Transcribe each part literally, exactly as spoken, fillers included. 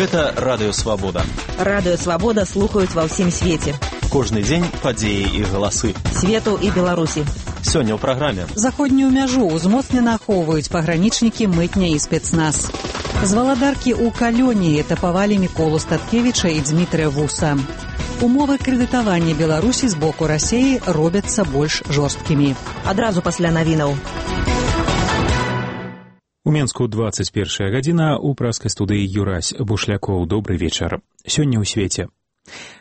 Гэта Радыё Свабода. Радыё Свабода слухаюць ва ўсім свеце. Кожны дзень падзеі і галасы. Свету і Беларусі. Сёння ў праграме. Заходнюю мяжу ўзмоцнена ахоўваюць пагранічнікі, мытня і спецназ. З валадаркі ў Калёніі этапавалі Міколу Статкевіча і Дзмітрыя Вуса. Умовы крэдытавання Беларусі з боку Расіі робяцца больш жорсткімі. Адразу пасля навінаў. У Менску двадцать первая гадзіна, у праскай студыі Юрась Бушлякоў. Добрый вечар. Сёння ў свеце.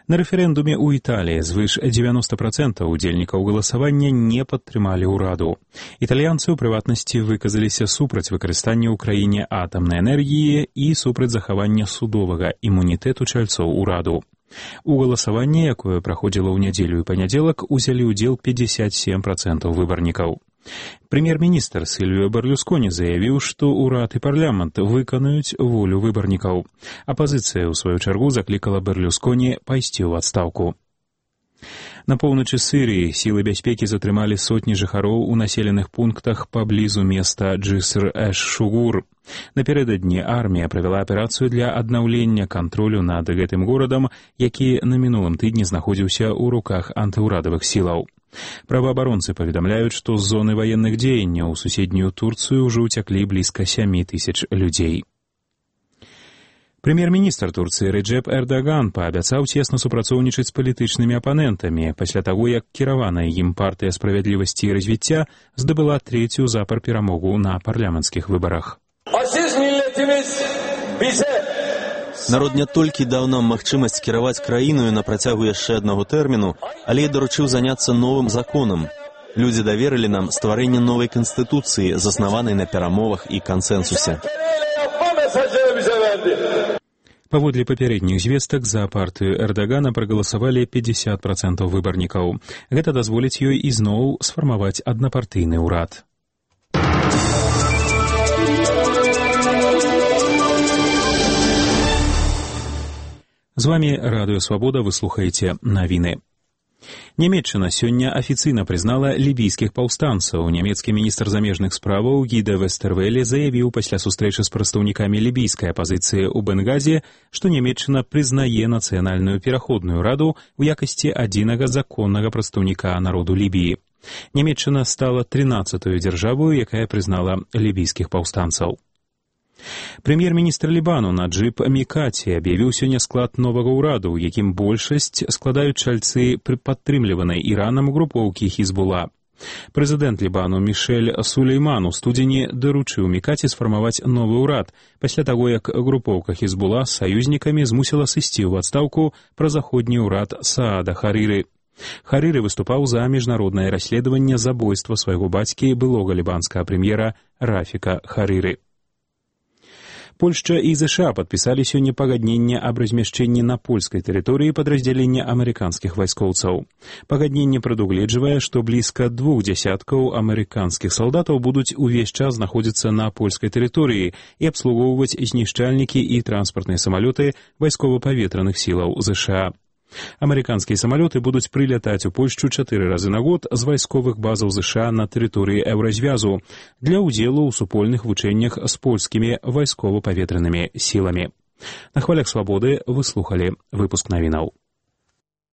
На рэферэндуме ў Італіі звыш девяносто процентов удзельнікаў галасавання не падтрымалі ўраду. Італьянцы ў прыватнасці выказаліся супраць выкарыстання ў краіне атамнай энергіі і супраць захавання судовага імунітэту чальцоў ураду. У галасаванні, якое праходзіла ў нядзелю і панядзелак, узялі ўдзел пятьдесят семь процентов выбарнікаў. Прэм'ер-міністр Сільвіо Берлюсконі заявіў, што ўрад і парламент выканаюць волю выбарнікаў. Апазіцыя, у сваю чаргу, заклікала Берлюсконі пайсці ў адстаўку. На поўначы Сірыі сілы бяспекі затрымалі сотні жыхароў у населеных пунктах паблізу места Джыср-эш-Шугур. Напярэдадні армія правяла аперацыю для аднаўлення кантролю над гэтым горадам, які на мінулым тыдні знаходзіўся ў руках антыўрадавых сілаў. Праваабаронцы паведамляюць, што з зоны ваенных дзеянняў у суседнюю Турцыю ўжо ўцяклі блізка сем тысяч людзей. Прэм'ер-міністр Турцыі Реджеп Эрдоган паабяцаў цесна супрацоўнічаць з палітычнымі апанентамі пасля таго, як кіраваная ім партыя справядлівасці і развіцця здабыла трэцюю запар перамогу на парламенцкіх выбарах. Народ не толькі даў нам магчымасць кіраваць краіною на працягу яшчэ аднаго тэрміну, але і даручыў заняцца новым законам. Людзі даверылі нам стварэнне новай канстытуцыі, заснаванай на перамовах і кансэнсусе. Паводле папярэдніх звестак, за партыю Эрдогана прагаласавалі пятьдесят процентов выбарнікаў. Гэта дазволіць ёй ізноў сфармаваць аднапартыйны ўрад. З вами Радыё Свабода, вы слухаеце навіны. Нямецчына сёння афіцыйна прызнала лібійскіх паўстанцаў. Нямецкі міністр замежных справаў Гіда Вестервеле заявіў пасля сустрэчы з прадстаўнікамі лібійскай апазіцыі ў Бенгазе, што Нямецчына прызнае нацыянальную пераходную раду ў якасці адзінага законнага прадстаўніка народу Лібіі. Нямецчына стала трынаццатой дзяржавою, якая прызнала лібійскіх паўстанцаў. Прэм'ер-міністр Лібану Наджыб Мікаці аб'явіў сёння склад новага ўраду, у якім большасць складаюць чальцы падтрымліванай Іранам групоўкі Хізбула. Прэзідэнт Лібану Мішэль Сулейман у студзені даручыў Мікаці сфармаваць новы ўрад, пасля таго, як групоўка Хізбула з саюзнікамі змусіла сысці ў адстаўку празаходні ўрад Саада Харыры. Харыры выступаў за міжнароднае расследаванне забойства свайго бацькі, былога лібанскага прэм'ера Рафіка Харыры. Польшча і ЗША падпісалі сёння пагадненне аб размяшчэнні на польскай тэрыторыі падраздзялення амерыканскіх вайскоўцаў. Пагадненне прадугледжвае, што блізка двух дзясяткаў амерыканскіх салдатаў будуць увесь час знаходзіцца на польскай тэрыторыі і абслугоўваць знішчальнікі і транспартныя самалёты вайскова-паветраных сілаў ЗША. Амерыканскія самалёты будуць прылятаць у Польшчу чатыры разы на год з вайсковых базаў ЗША на тэрыторыі Еўразвязу для ўдзелу ў супольных вучэннях з польскімі вайскова-паветранымі сіламі. На хвалях Свабоды вы слухалі выпуск навінаў.